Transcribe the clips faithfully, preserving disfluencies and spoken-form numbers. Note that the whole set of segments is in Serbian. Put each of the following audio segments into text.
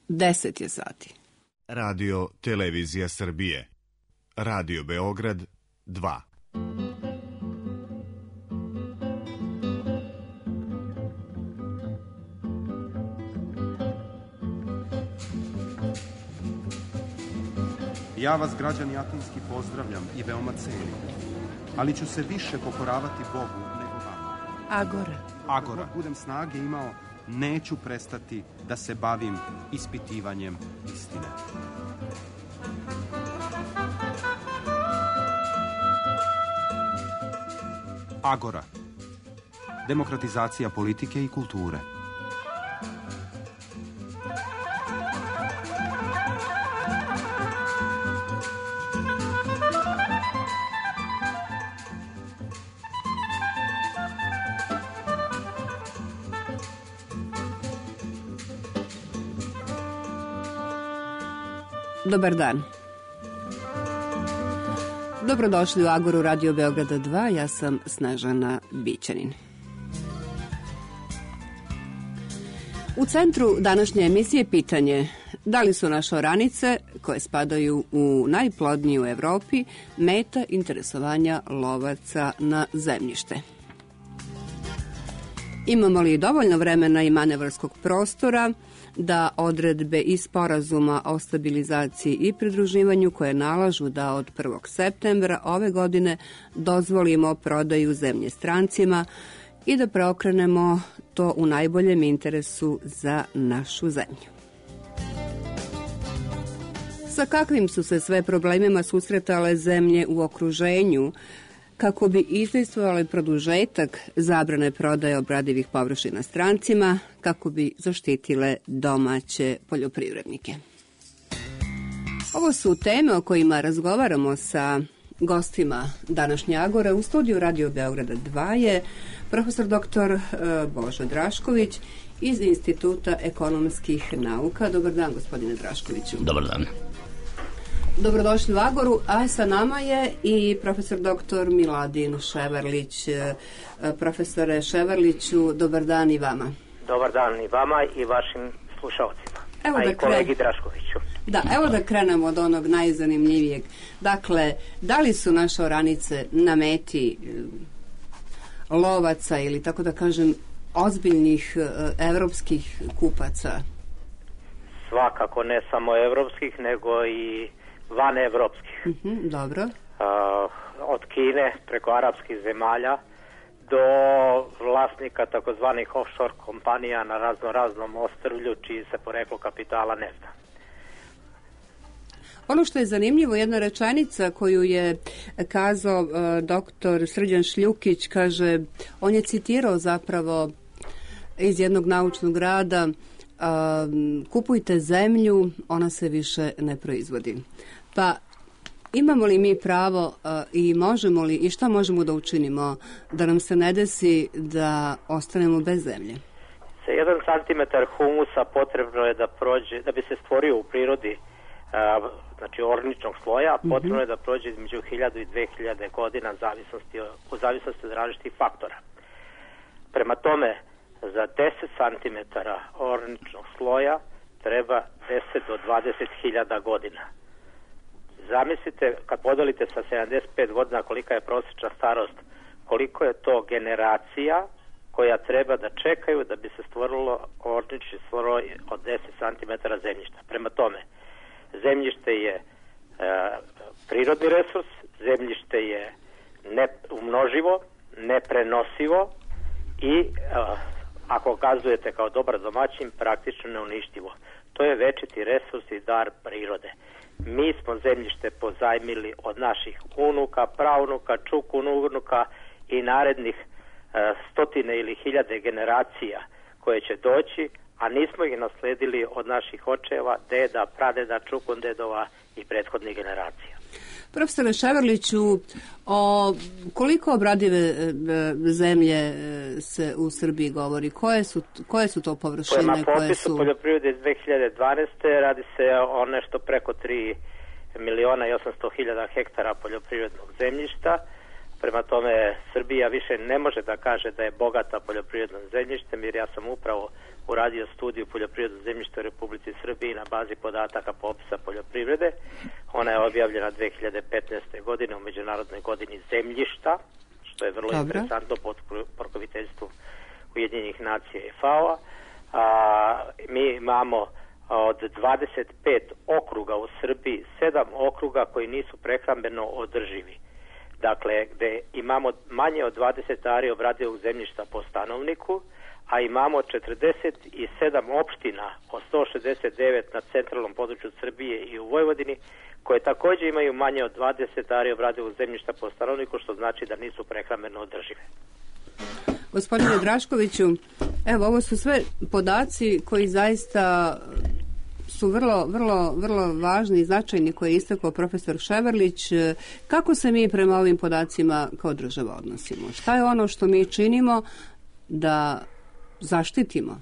deset je sati. Radio Televizija Srbije. Radio Beograd dva. Ja vas, građani Atinski, pozdravljam i veoma cenim, ali ću se više pokoravati Bogu nego vama. Agora. Agora. Dok budem snage imao, neću prestati da se bavim ispitivanjem istine. Agora. Demokratizacija politike i kulture. Dobar dan. Dobrodošli u Agoru Radio Beograda dva, ja sam Snežana Bićanin. U centru današnje emisije pitanje da li su naše oranice, koje spadaju u najplodniju u Evropi, meta interesovanja lovaca na zemljište. Imamo li dovoljno vremena i manevarskog prostora da odredbe iz sporazuma o stabilizaciji i pridruživanju koje nalažu da od prvog septembra ove godine dozvolimo prodaju zemlje strancima i da preokrenemo to u najboljem interesu za našu zemlju. Sa kakvim su se sve problemima susretale zemlje u okruženju kako bi izdejstvovali produžetak zabrane prodaje obradivih površina strancima, kako bi zaštitile domaće poljoprivrednike. Ovo su teme o kojima razgovaramo sa gostima današnje Agore. U studiju Radio Beograda dva je profesor doktor Božo Drašković iz Instituta ekonomskih nauka. Dobar dan, gospodine Draškoviću. Dobar dan. Dobrodošli u Agoru, a sa nama je i profesor doktor Miladin Ševarlić. Profesore Ševarliću, dobar dan i vama. Dobar dan i vama i vašim slušalcima, evo a da i kolegi kren... Draškoviću. Da, evo da krenemo od onog najzanimljivijeg. Dakle, da li su naše oranice na meti lovaca ili, tako da kažem, ozbiljnih evropskih kupaca? Svakako ne samo evropskih, nego i van evropskih. Uh-huh, dobro. Uh, od Kine preko arapskih zemalja do vlasnika takozvanih offshore kompanija na razno raznom ostrvlju čiji se poreklo kapitala ne zna. Ono što je zanimljivo, jedna rečenica koju je kazao uh, doktor Srđan Šljukić, kaže, on je citirao zapravo iz jednog naučnog rada: Uh, kupujte zemlju, ona se više ne proizvodi. Pa imamo li mi pravo uh, i možemo li i šta možemo da učinimo da nam se ne desi da ostanemo bez zemlje? Sa jedan santimetar humusa potrebno je da prođe, da bi se stvorio u prirodi uh, znači orničnog sloja, mm-hmm. potrebno je da prođe između hiljadu i dve hiljade godina zavisnosti, u zavisnosti od različitih faktora. Prema tome, za deset santimetara orničnog sloja treba deset do dvadeset hiljada godina. Zamislite, kad podelite sa sedamdeset pet godina kolika je prosječna starost, koliko je to generacija koja treba da čekaju da bi se stvorilo ornični sloj od deset santimetara zemljišta. Prema tome, zemljište je e, prirodni resurs, zemljište je neumnoživo, neprenosivo i e, ako kazujete kao dobar domaćin, praktično neuništivo. To je večiti resurs i dar prirode. Mi smo zemljište pozajmili od naših unuka, praunuka, čukunuka i narednih e, stotine ili hiljade generacija koje će doći, a nismo ih nasledili od naših očeva, deda, pradeda, čukundedova i prethodnih generacija. Profesore Ševarliću, o koliko obradive zemlje se u Srbiji govori? Koje su, koje su to površine? Prema popisu koje su... poljoprivrede iz dve hiljade dvanaeste. radi se o nešto preko tri miliona i osamsto hiljada hektara poljoprivrednog zemljišta. Prema tome, Srbija više ne može da kaže da je bogata poljoprivrednom zemljištem, jer ja sam upravo uradio studiju poljoprivrednog zemljišta u Republici Srbiji na bazi podataka popisa poljoprivrede. Ona je objavljena dve hiljade petnaeste. godine u Međunarodnoj godini zemljišta, što je vrlo Dobre. interesantno pod pokroviteljstvom Ujedinjenih nacija i F A O-a. A, mi imamo od dvadeset pet okruga u Srbiji, sedam okruga koji nisu prehrambeno održivi. Dakle, gde imamo manje od dvadeset ari obradivog zemljišta po stanovniku, a imamo četrdeset sedam opština od sto šezdeset devet na centralnom području Srbije i u Vojvodini, koje također imaju manje od dvadeset ari obradivog zemljišta po stanovniku, što znači da nisu prehrambeno održive. Gospodine Draškoviću, evo, ovo su sve podaci koji zaista su vrlo, vrlo, vrlo važni i značajni koje je istakao profesor Ševarlić. Kako se mi prema ovim podacima kao država odnosimo? Šta je ono što mi činimo da zaštitimo?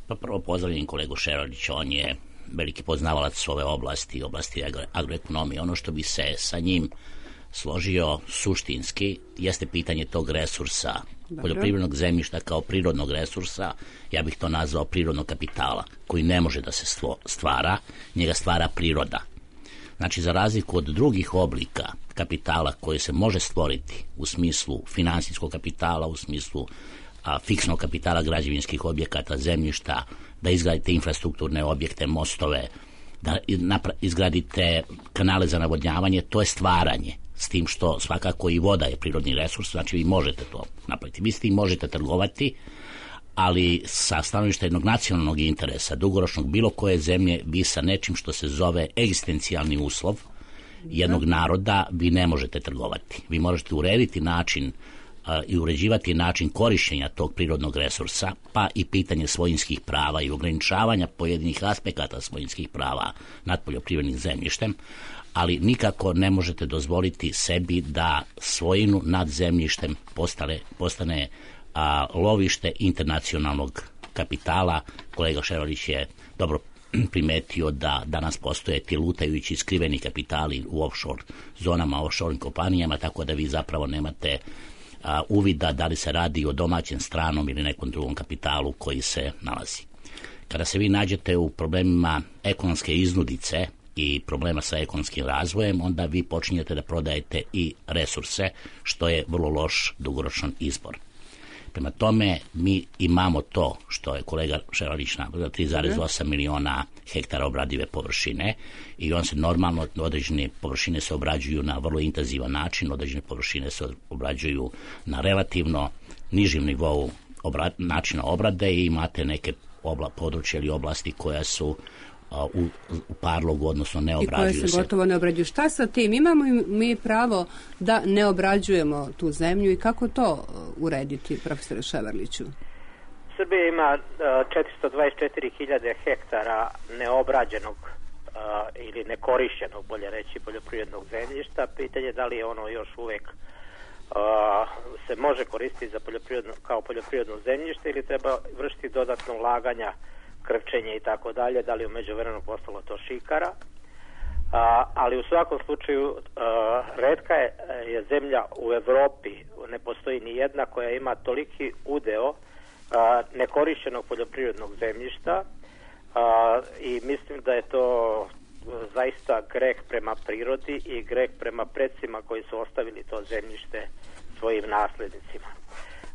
Pa prvo pozdravljam kolegu Ševarlića, on je veliki poznavalac ove oblasti, oblasti agroekonomije. Ono što bi se sa njim složio suštinski jeste pitanje tog resursa, Dobro. poljoprivrednog zemljišta kao prirodnog resursa, ja bih to nazvao prirodnog kapitala, koji ne može da se stvara, njega stvara priroda. Znači, za razliku od drugih oblika kapitala koji se može stvoriti u smislu finansijskog kapitala, u smislu a, fiksnog kapitala građevinskih objekata, zemljišta, da izgradite infrastrukturne objekte, mostove, da izgradite kanale za navodnjavanje, to je stvaranje. S tim što svakako i voda je prirodni resurs, znači vi možete to napraviti. Vi s tim možete trgovati, ali sa stanovišta jednog nacionalnog interesa, dugoročnog bilo koje zemlje, vi sa nečim što se zove egzistencijalni uslov jednog naroda, vi ne možete trgovati. Vi možete urediti način uh, i uređivati način korišćenja tog prirodnog resursa, pa i pitanje svojinskih prava i ograničavanja pojedinih aspekata svojinskih prava nad poljoprivrednim zemljištem, ali nikako ne možete dozvoliti sebi da svojinu nad zemljištem postane, postane a, lovište internacionalnog kapitala. Kolega Ševarlić je dobro primetio da danas postoje ti lutajući skriveni kapitali u offshore zonama, offshore kompanijama, tako da vi zapravo nemate a, uvida da li se radi o domaćem, stranom ili nekom drugom kapitalu koji se nalazi. Kada se vi nađete u problemima ekonomske iznudice i problema sa ekonomskim razvojem, onda vi počinjete da prodajete i resurse, što je vrlo loš dugoročan izbor. Prema tome, mi imamo to što je kolega Ševarlić napravio, tri zarez osam miliona hektara obradive površine, i on se normalno, određene površine se obrađuju na vrlo intenzivan način, određene površine se obrađuju na relativno nižim nivou obra, načina obrade, i imate neke obla, područje ili oblasti koja su U, u parlogu, odnosno ne obrađuju se. I koje se gotovo ne obrađuju. Šta sa tim? Imamo mi pravo da ne obrađujemo tu zemlju i kako to urediti, profesore Ševarliću? Srbija ima četiristo dvadeset četiri hiljade hektara neobrađenog uh, ili nekorišćenog, bolje reći, poljoprivrednog zemljišta. Pitanje je da li je ono još uvek uh, se može koristiti za poljoprivredno, kao poljoprivredno zemljište, ili treba vršiti dodatno ulaganja, krčenje i tako dalje, da li u međuvremenu postalo to šikara. A, ali u svakom slučaju a, retka je, je zemlja u Evropi, ne postoji ni jedna koja ima toliki udeo a, nekorišćenog poljoprivrednog zemljišta, a, i mislim da je to zaista greh prema prirodi i greh prema predsima koji su ostavili to zemljište svojim naslednicima.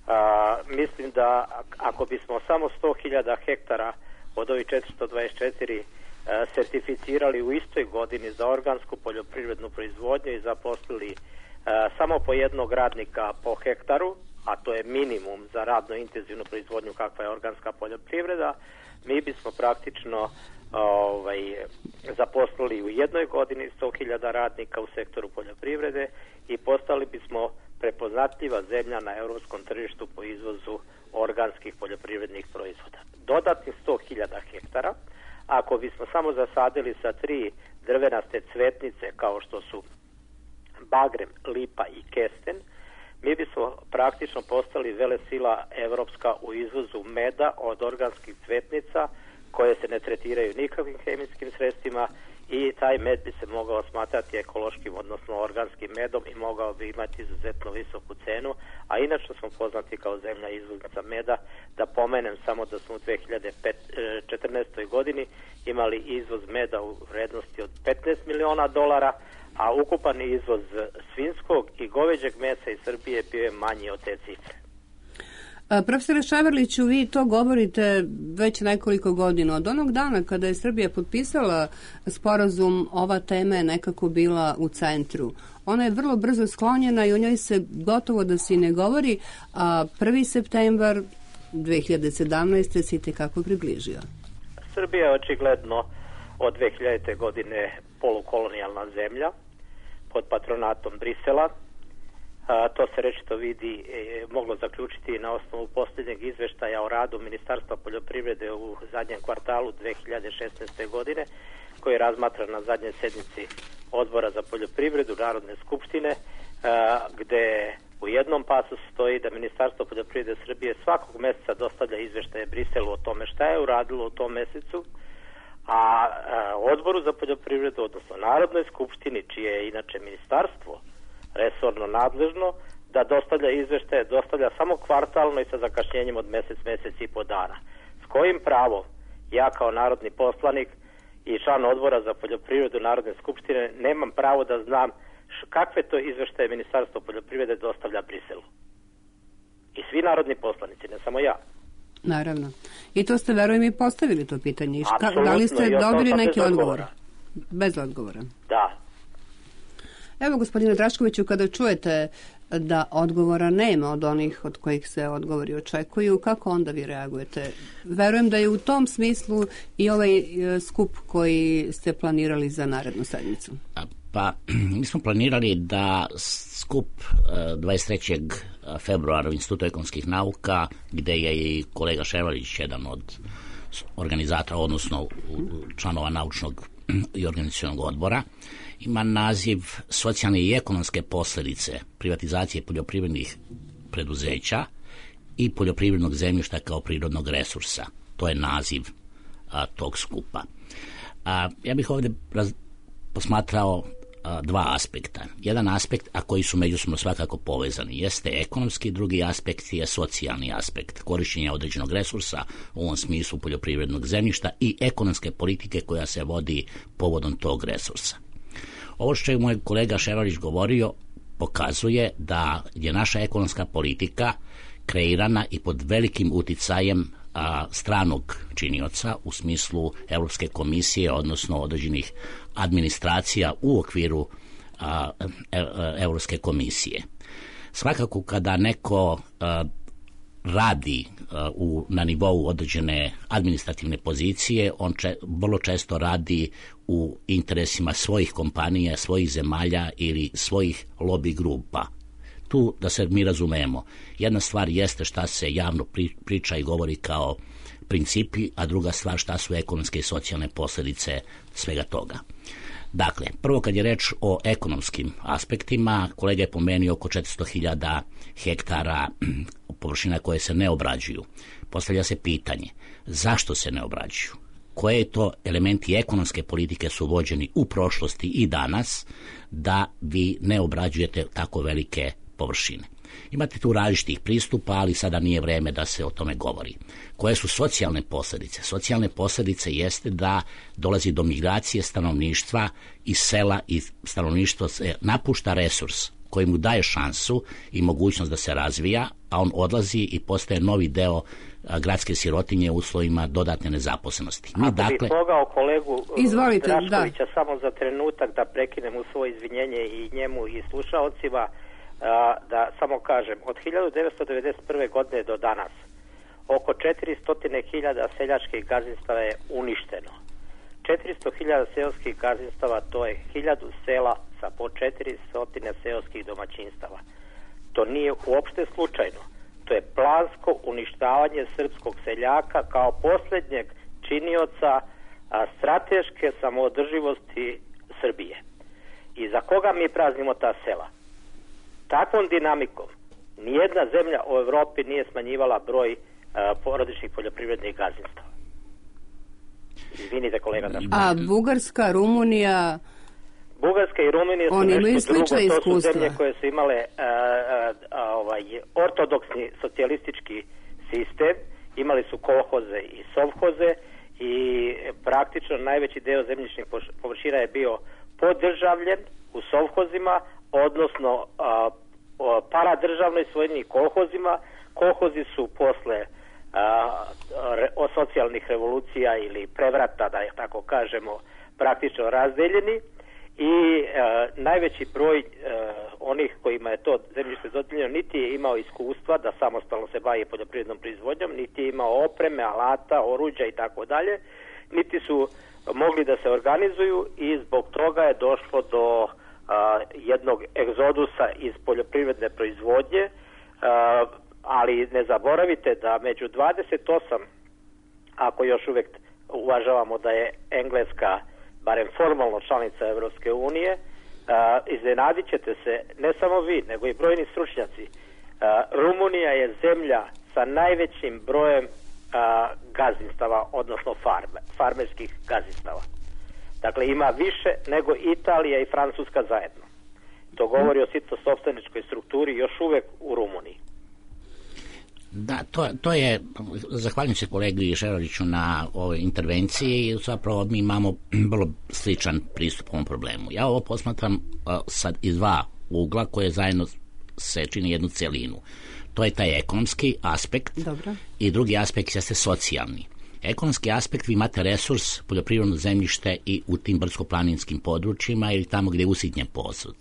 A, mislim da ako bismo samo sto hiljada hektara od ovih četiristo dvadeset četiri a, sertificirali u istoj godini za organsku poljoprivrednu proizvodnju i zaposlili a, samo po jednog radnika po hektaru, a to je minimum za radno intenzivnu proizvodnju kakva je organska poljoprivreda, mi bismo praktično ovaj, zaposlili u jednoj godini sto hiljada radnika u sektoru poljoprivrede i postali bismo prepoznatljiva zemlja na europskom tržištu po izvozu organskih poljoprivrednih proizvoda. Dodatnih sto hiljada hektara, ako bismo samo zasadili sa tri drvenaste cvetnice kao što su bagrem, lipa i kesten, mi bismo praktično postali velesila evropska u izvozu meda od organskih cvetnica koje se ne tretiraju nikakvim hemijskim sredstvima i taj med bi se mogao smatrati ekološkim, odnosno organskim medom i mogao bi imati izuzetno visoku cenu, a inače smo poznati kao zemlja izvoznica meda. Da pomenem samo da smo u dve hiljade četrnaestoj godini imali izvoz meda u vrednosti od petnaest miliona dolara, a ukupan izvoz svinjskog i goveđeg mesa iz Srbije bio je manji od te cifre. A, profesore Ševarliću, vi to govorite već nekoliko godina. Od onog dana kada je Srbija potpisala sporazum, ova tema je nekako bila u centru. Ona je vrlo brzo sklonjena i o njoj se gotovo da se ne govori, a prvi septembar dve hiljade sedamnaeste se itekako približio. Srbija je očigledno od dve hiljadite. godine polukolonijalna zemlja pod patronatom Brisela. A, to se rečito vidi, e, moglo zaključiti na osnovu posljednjeg izveštaja o radu Ministarstva poljoprivrede u zadnjem kvartalu dve hiljade šesnaeste. godine, koji je razmatran na zadnjoj sednici Odbora za poljoprivredu Narodne skupštine, a, gde u jednom pasu stoji da Ministarstvo poljoprivrede Srbije svakog meseca dostavlja izveštaje Briselu o tome šta je uradilo u tom mesecu, a, a Odboru za poljoprivredu, odnosno Narodnoj skupštini, čije je inače ministarstvo resorno nadležno, da dostavlja izveštaje, dostavlja samo kvartalno i sa zakašnjenjem od mesec, mesec i po dana. S kojim pravom ja kao narodni poslanik i član Odbora za poljoprivredu Narodne skupštine nemam pravo da znam kakve to izveštaje Ministarstvo poljoprivrede dostavlja Briselu? I svi narodni poslanici, ne samo ja. Naravno. I to ste, verujem, i postavili to pitanje. Apsolutno. Da li ste dobili neki odgovor? Odgovora. Bez odgovora. Da. Evo, gospodine Draškoviću, kada čujete da odgovora nema od onih od kojih se odgovori očekuju, kako onda vi reagujete? Verujem da je u tom smislu i ovaj skup koji ste planirali za narednu sedmicu. Pa, mi smo planirali da skup dvadeset trećeg februara u Institutu ekonomskih nauka, gde je i kolega Ševarlić jedan od organizatora, odnosno članova naučnog i organizacionog odbora, ima naziv Socijalne i ekonomske posljedice privatizacije poljoprivrednih preduzeća i poljoprivrednog zemljišta kao prirodnog resursa. To je naziv a, tog skupa. A, ja bih ovdje raz, posmatrao a, dva aspekta. Jedan aspekt, a koji su međusobno svakako povezani, jeste ekonomski, drugi aspekt je socijalni aspekt, korišćenja određenog resursa, u ovom smislu poljoprivrednog zemljišta i ekonomske politike koja se vodi povodom tog resursa. Ovo što je moj kolega Ševarlić govorio pokazuje da je naša ekonomska politika kreirana i pod velikim uticajem a, stranog činioca u smislu Europske komisije, odnosno određenih administracija u okviru a, e, Europske komisije. Svakako kada neko a, radi a, u, na nivou određene administrativne pozicije, on če, vrlo često radi u interesima svojih kompanija, svojih zemalja ili svojih lobby grupa. Tu, da se mi razumemo, jedna stvar jeste šta se javno priča i govori kao principi, a druga stvar šta su ekonomske i socijalne posljedice svega toga. Dakle, prvo kad je reč o ekonomskim aspektima, kolega je pomenuo oko četiristo hiljada hektara površina koje se ne obrađuju. Postavlja se pitanje, zašto se ne obrađuju? Koje to elementi ekonomske politike su vođeni u prošlosti i danas da vi ne obrađujete tako velike površine? Imate tu različitih pristupa, ali sada nije vreme da se o tome govori. Koje su socijalne posljedice? Socijalne posljedice jeste da dolazi do migracije stanovništva iz sela i stanovništvo se napušta resurs koji mu daje šansu i mogućnost da se razvija, a on odlazi i postaje novi deo gradske sirotinje u uslovima dodatne nezaposlenosti. Mi, Ako dakle... bih mogao kolegu Izvolite, Draškovića da. samo za trenutak da prekinem u svoje izvinjenje i njemu i slušaocima, da samo kažem, od hiljadu devetsto devedeset prve. godine do danas oko četiristo hiljada seljačkih gazdinstava je uništeno. četiristo hiljada seoskih gazdinstava, to je hiljadu sela sa po četiristo seoskih domaćinstava. To nije uopšte slučajno. To je plansko uništavanje srpskog seljaka kao posljednjeg činioca a, strateške samoodrživosti Srbije. I za koga mi praznimo ta sela? Takvom dinamikom nijedna zemlja u Evropi nije smanjivala broj a, porodičnih poljoprivrednih gazdinstava. Izvinite, kolega. Da. A Bugarska, Rumunija... Bugarska i Rumunija su nešto drugo. To iskustva. Su zemlje koje su imale a, a, a, ovaj, ortodoksni socijalistički sistem. Imali su kolhoze i sovhoze i praktično najveći deo zemljišnih površina je bio podržavljen u sovhozima, odnosno a, a, paradržavno i svojnim kolhozima. Kolhozi su posle a, re, o socijalnih revolucija ili prevrata, da je tako kažemo, praktično razdeljeni i a, najveći broj a, onih kojima je to zemljište dodijeljeno niti je imao iskustva da samostalno se bavi poljoprivrednom proizvodnjom, niti je imao opreme, alata, oruđa i tako dalje, niti su mogli da se organizuju i zbog toga je došlo do a, jednog egzodusa iz poljoprivredne proizvodnje, a, ali ne zaboravite da među dvadeset osam, ako još uvek uvažavamo da je Engleska barem formalno članica Evropske unije, iznenadit ćete se, ne samo vi, nego i brojni stručnjaci. A, Rumunija je zemlja sa najvećim brojem a, gazdinstava, odnosno farme, farmerskih gazdinstava. Dakle, ima više nego Italija i Francuska zajedno. To govori o sitno-sopstveničkoj strukturi još uvek u Rumuniji. Da, to, to je, zahvaljujem se kolegi Šeroviću na ovoj intervenciji, zapravo mi imamo vrlo sličan pristup ovom problemu. Ja ovo posmatram uh, sad iz dva ugla koje zajedno se čini jednu celinu. To je taj ekonomski aspekt. Dobro. I drugi aspekt jeste socijalni. Ekonomski aspekt, vi imate resurs, poljoprivredno zemljište i u tim brdsko-planinskim područjima ili tamo gdje je usitnjen posud.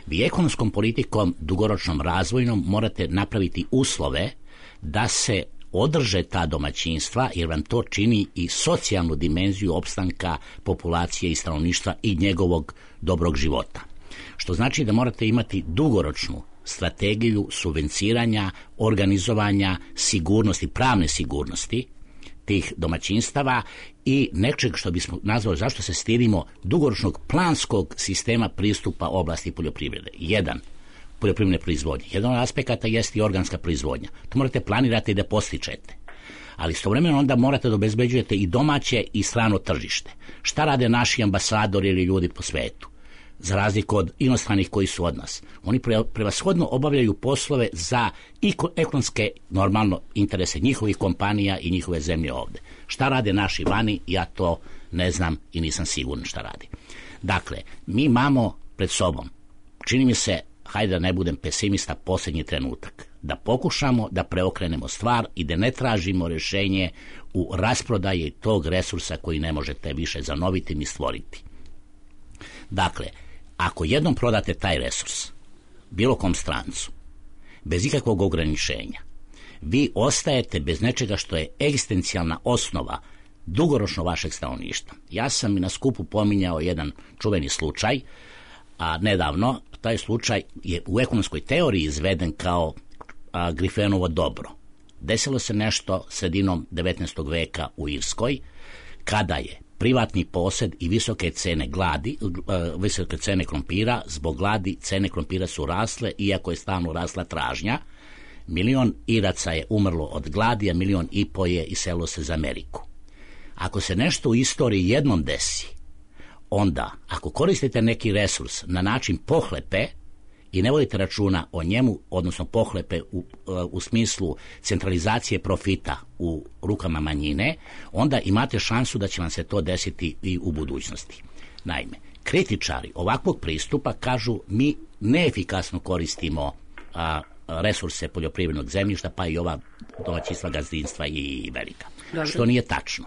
Vi ekonomskom politikom, dugoročnom razvojnom, morate napraviti uslove da se održe ta domaćinstva, jer vam to čini i socijalnu dimenziju opstanka populacije i stanovništva i njegovog dobrog života. Što znači da morate imati dugoročnu strategiju subvenciranja, organizovanja, sigurnosti, pravne sigurnosti tih domaćinstava i nečeg što bismo nazvali, zašto se stidimo, dugoročnog planskog sistema pristupa oblasti poljoprivrede. Jedan, poljoprivredne proizvodnje. Jedan od aspekata jeste i organska proizvodnja. To morate planirati da postičete. Ali istovremeno onda morate da obezbeđujete i domaće i strano tržište. Šta rade naši ambasadori ili ljudi po svetu? Za razliku od inostranih koji su od nas. Oni prevashodno obavljaju poslove za ekonomske, normalno, interese njihovih kompanija i njihove zemlje ovde. Šta rade naši vani, ja to ne znam i nisam siguran šta radi. Dakle, mi imamo pred sobom, čini mi se, hajde da ne budem pesimista, posljednji trenutak. Da pokušamo da preokrenemo stvar i da ne tražimo rješenje u rasprodaji tog resursa koji ne možete više zanoviti ni stvoriti. Dakle, ako jednom prodate taj resurs bilo kom strancu, bez ikakvog ograničenja, vi ostajete bez nečega što je egzistencijalna osnova dugoročno vašeg stanovništva. Ja sam i na skupu pominjao jedan čuveni slučaj, a nedavno taj slučaj je u ekonomskoj teoriji izveden kao a, Grifenovo dobro. Desilo se nešto sredinom devetnaestog veka u Irskoj, kada je privatni posed i visoke cene gladi, visoke cene krompira, zbog gladi cene krompira su rasle, iako je stalno rasla tražnja. Milion Iraca je umrlo od gladi, a milion i po je iselilo se za Ameriku. Ako se nešto u istoriji jednom desi, onda, ako koristite neki resurs na način pohlepe i ne vodite računa o njemu, odnosno pohlepe u, u smislu centralizacije profita u rukama manjine, onda imate šansu da će vam se to desiti i u budućnosti. Naime, kritičari ovakvog pristupa kažu mi neefikasno koristimo a, resurse poljoprivrednog zemljišta, pa i ova domaćinstva, gazdinstva i velika. Dobre. Što nije tačno.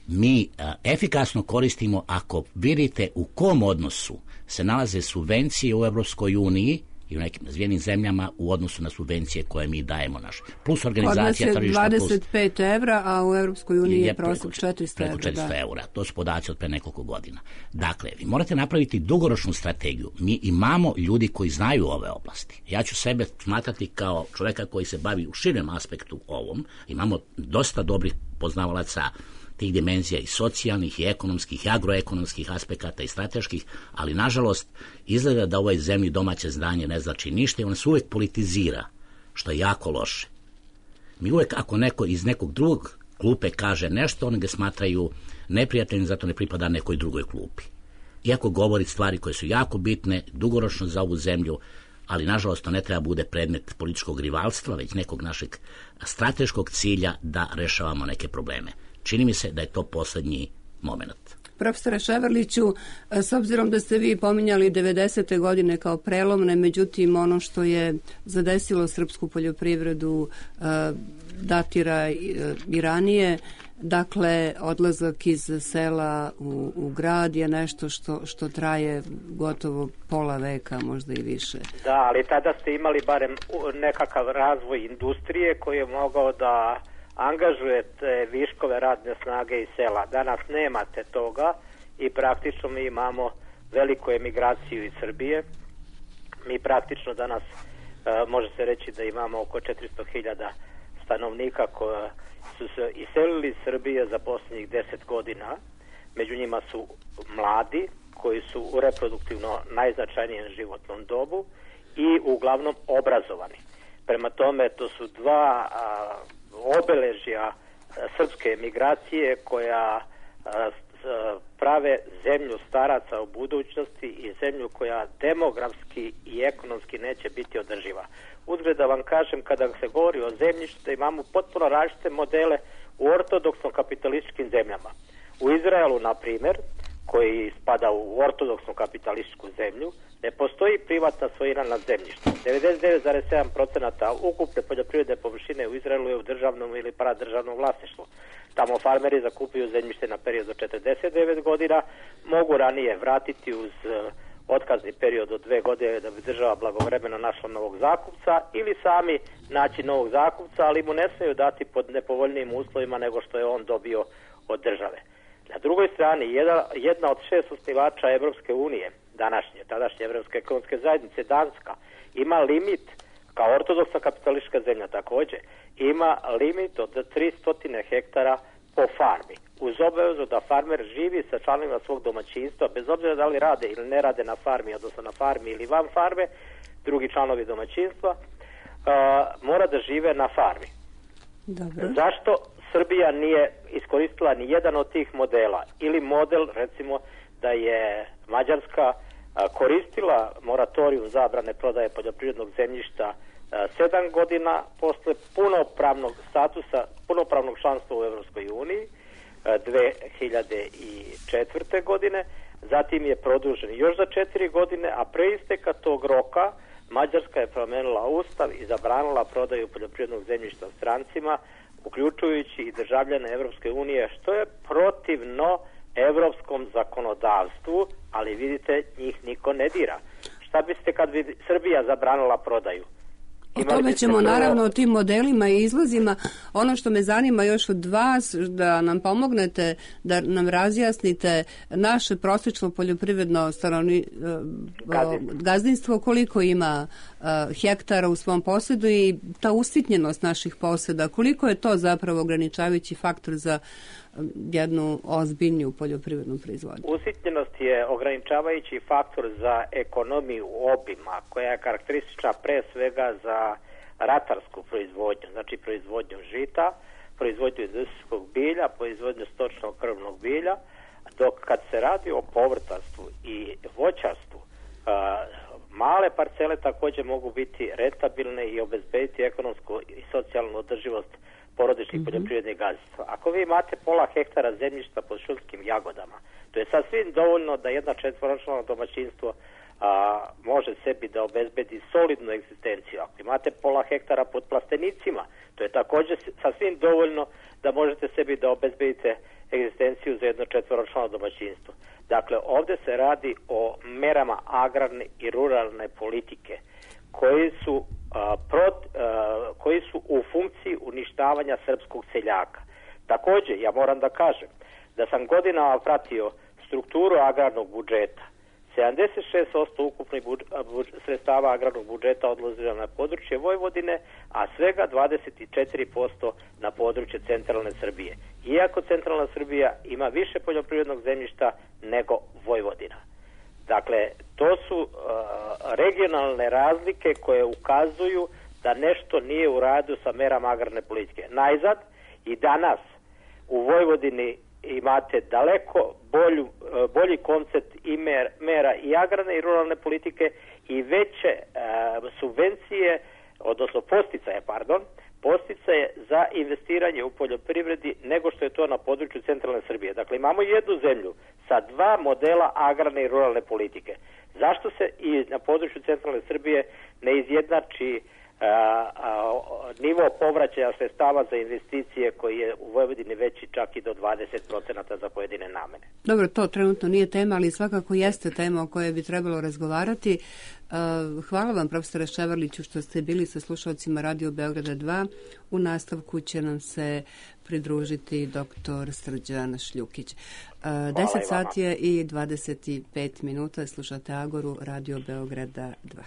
Mi a, efikasno koristimo ako vidite u kom odnosu se nalaze subvencije u Evropskoj uniji i u nekim razvijenim zemljama u odnosu na subvencije koje mi dajemo naše. Plus organizacija tržišta. Kod nas je dvadeset pet evra, a u Evropskoj uniji je, je prosjek četiristo evra. četiristo evra. To su podaci od pre nekoliko godina. Dakle, vi morate napraviti dugoročnu strategiju. Mi imamo ljudi koji znaju ove oblasti. Ja ću sebe smatrati kao čoveka koji se bavi u širem aspektu ovom. Imamo dosta dobrih poznavalaca tih dimenzija i socijalnih, i ekonomskih, i agroekonomskih aspekata i strateških, ali nažalost izgleda da u ovoj zemlji domaće znanje ne znači ništa i on se uvek politizira, što je jako loše. Mi uvek, ako neko iz nekog drugog klupe kaže nešto, oni ga smatraju neprijatelj zato ne pripada nekoj drugoj klupi. Iako govori stvari koje su jako bitne, dugoročno za ovu zemlju, ali nažalost to ne treba bude predmet političkog rivalstva, već nekog našeg strateškog cilja da rešavamo neke probleme. Čini mi se da je to poslednji moment. Profesore Ševarliću, s obzirom da ste vi pominjali devedesete godine kao prelomne, međutim ono što je zadesilo srpsku poljoprivredu datira i ranije, dakle odlazak iz sela u, u grad je nešto što, što traje gotovo pola veka, možda i više. Da, ali tada ste imali barem nekakav razvoj industrije koji je mogao da angažujete viškove radne snage iz sela. Danas nemate toga i praktično mi imamo veliku emigraciju iz Srbije. Mi praktično danas uh, može se reći da imamo oko četiristo hiljada stanovnika koja su se iselili iz Srbije za posljednjih deset godina. Među njima su mladi koji su u reproduktivno najznačajnijem životnom dobu i uglavnom obrazovani. Prema tome to su dva a, obeležja a, srpske emigracije koja a, a, prave zemlju staraca u budućnosti i zemlju koja demografski i ekonomski neće biti održiva. Uzgled da vam kažem, kada se govori o zemljištu, imamo potpuno različite modele u ortodoksno kapitalističkim zemljama. U Izraelu, na primjer, koji spada u ortodoksnu kapitalističku zemlju, ne postoji privatna svojina nad zemljištem. devedeset devet zarez sedam posto ukupne poljoprivredne površine u Izraelu je u državnom ili paradržavnom vlasništvu. Tamo farmeri zakupuju zemljište na period od četrdeset devet godina, mogu ranije vratiti uz otkazni period od dve godine da bi država blagovremeno našla novog zakupca ili sami naći novog zakupca, ali mu ne smeju dati pod nepovoljnijim uslovima nego što je on dobio od države. Na drugoj strani, jedna, jedna od šest osnivača Evropske unije, današnje, tadašnje Evropske ekonomske zajednice, Danska, ima limit, kao ortodoksna kapitalistička zemlja također, ima limit od tristo hektara po farmi, uz obavezu da farmer živi sa članovima svog domaćinstva, bez obzira da li rade ili ne rade na farmi, odnosno na farmi ili van farme, drugi članovi domaćinstva, uh, mora da žive na farmi. Dobro. Zašto Srbija nije iskoristila ni jedan od tih modela? Ili model, recimo, da je Mađarska a, koristila moratorijum zabrane prodaje poljoprivrednog zemljišta a, sedam godina posle punopravnog statusa, punopravnog članstva u Evropskoj uniji a, dve hiljade četvrte. godine, zatim je produžen još za četiri godine, a pre isteka tog roka Mađarska je promenila ustav i zabranila prodaju poljoprivrednog zemljišta strancima, uključujući i državljane Evropske unije, što je protivno evropskom zakonodavstvu, ali vidite, njih niko ne dira. Šta biste kad bi Srbija zabranila prodaju? O tome ćemo prvo... naravno o tim modelima i izlazima. Ono što me zanima još od vas, da nam pomognete, da nam razjasnite naše prosječno poljoprivredno stanovni, gazdinstvo. gazdinstvo, koliko ima uh, hektara u svom posjedu i ta usitnjenost naših posjeda, koliko je to zapravo ograničavajući faktor za jednu ozbiljniju poljoprivrednu proizvodnju? Usitnjenost je ograničavajući faktor za ekonomiju obima, koja je karakteristična pre svega za ratarsku proizvodnju, znači proizvodnju žita, proizvodnju industrijskog bilja, proizvodnju stočnog krvnog bilja, dok kad se radi o povrtarstvu i voćarstvu, male parcele također mogu biti rentabilne i obezbediti ekonomsku i socijalnu održivost porodičnih mm-hmm. poljoprivrednih gazdinstva. Ako vi imate pola hektara zemljišta pod šumskim jagodama, to je sasvim dovoljno da jedna četvoročlano domaćinstvo a, može sebi da obezbedi solidnu egzistenciju. Ako imate pola hektara pod plastenicima, to je također sasvim dovoljno da možete sebi da obezbedite egzistenciju za jedno četvoročlano domaćinstvo. Dakle, ovdje se radi o merama agrarne i ruralne politike koji su a, prot, a, koji su u funkciji uništavanja srpskog seljaka. Također, ja moram da kažem da sam godinama pratio strukturu agrarnog budžeta. sedamdeset šest posto ukupnih budž, budž, sredstava agrarnog budžeta odlazilo na područje Vojvodine, a svega dvadeset četiri posto na područje centralne Srbije. Iako centralna Srbija ima više poljoprivrednog zemljišta nego Vojvodina. Dakle, to su uh, regionalne razlike koje ukazuju da nešto nije u radu sa merama agrarne politike. Najzad, i danas u Vojvodini imate daleko bolju, bolji koncept i mer, mera i agrarne i ruralne politike i veće e, subvencije, odnosno posticaje, pardon, posticaje za investiranje u poljoprivredi nego što je to na području centralne Srbije. Dakle, imamo jednu zemlju sa dva modela agrarne i ruralne politike. Zašto se i na području centralne Srbije ne izjednači a, a, nivo povraćaja sredstava za investicije koji je u Vojvodini veći čak i do dvadeset procenata za pojedine namene? Dobro, to trenutno nije tema, ali svakako jeste tema o kojoj bi trebalo razgovarati. Hvala vam, profesore Ševarliću, što ste bili sa slušalcima Radio Beograda dva. U nastavku će nam se pridružiti doktor Srđan Šljukić. deset sati je i dvadeset pet minuta. Slušate Agoru Radio Beograda dva.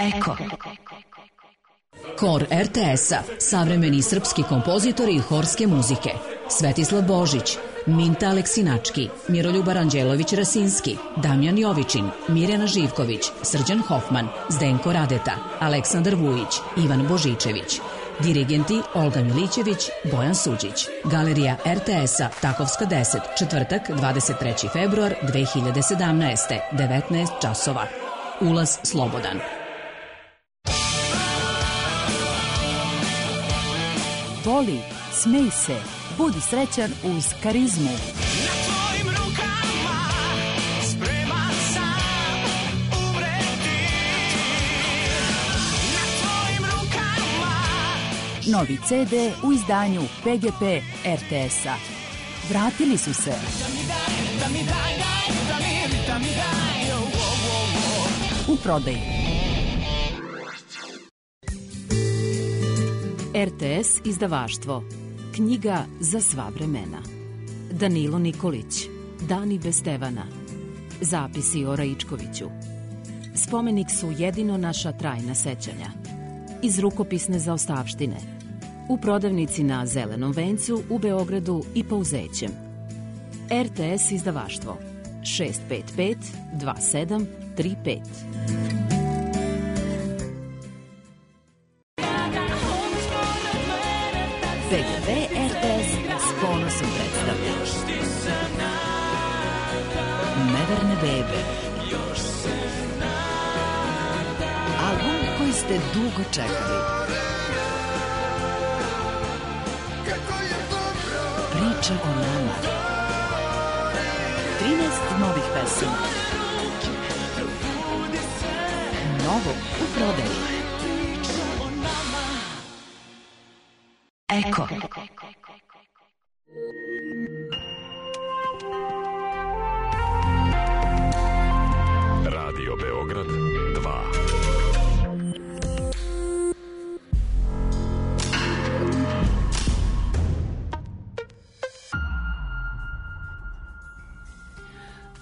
Eko. Kor er te esa, savremeni srpski kompozitori i horske muzike. Svetislav Božić, Minta Aleksinački, Miroljub Aranđelović-Rasinski, Damjan Jovičin, Mirjana Živković, Srđan Hofman, Zdenko Radeta, Aleksandar Vujić, Ivan Božičević. Dirigenti Olga Milićević, Bojan Suđić. Galerija er te es-a, Takovska deset, četvrtak, dvadeset treći februar dve hiljade sedamnaeste, devetnaest časova. Ulaz slobodan. Voli, smej se, budi srećan uz Karizmu. Novi ce de u izdanju pe ge pe er te es-a. Vratili su se. U prodaji. er te es izdavaštvo. Knjiga za sva vremena. Danilo Nikolić. Dani bez Stevana. Zapisi o Raičkoviću. Spomenik su jedino naša trajna sećanja. Iz rukopisne zaostavštine. U prodavnici na Zelenom vencu u Beogradu i Pauzećem. er te es izdavaštvo. šest pet pet dva sedam tri pet. pe ge pe er te es s ponosom predstavlja Neverne bebe. Album koji ste dugo čekali. Priča o nama. trinaest novih pesama. Novo u prodaji. Eko. Radio Beograd dva.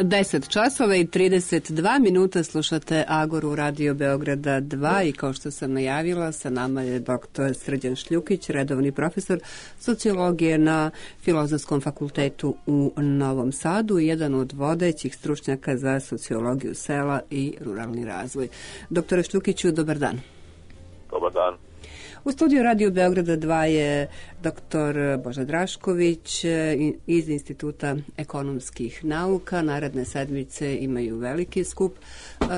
deset časova i trideset dva minuta slušate Agoru Radio Beograda dva i kao što sam najavila, sa nama je doktor Srđan Šljukić, redovni profesor sociologije na Filozofskom fakultetu u Novom Sadu i jedan od vodećih stručnjaka za sociologiju sela i ruralni razvoj. Doktore Šljukiću, dobar dan. Dobar dan. U studiju Radio Beograda dva je doktor Boža Drašković iz Instituta ekonomskih nauka. Naredne sedmice imaju veliki skup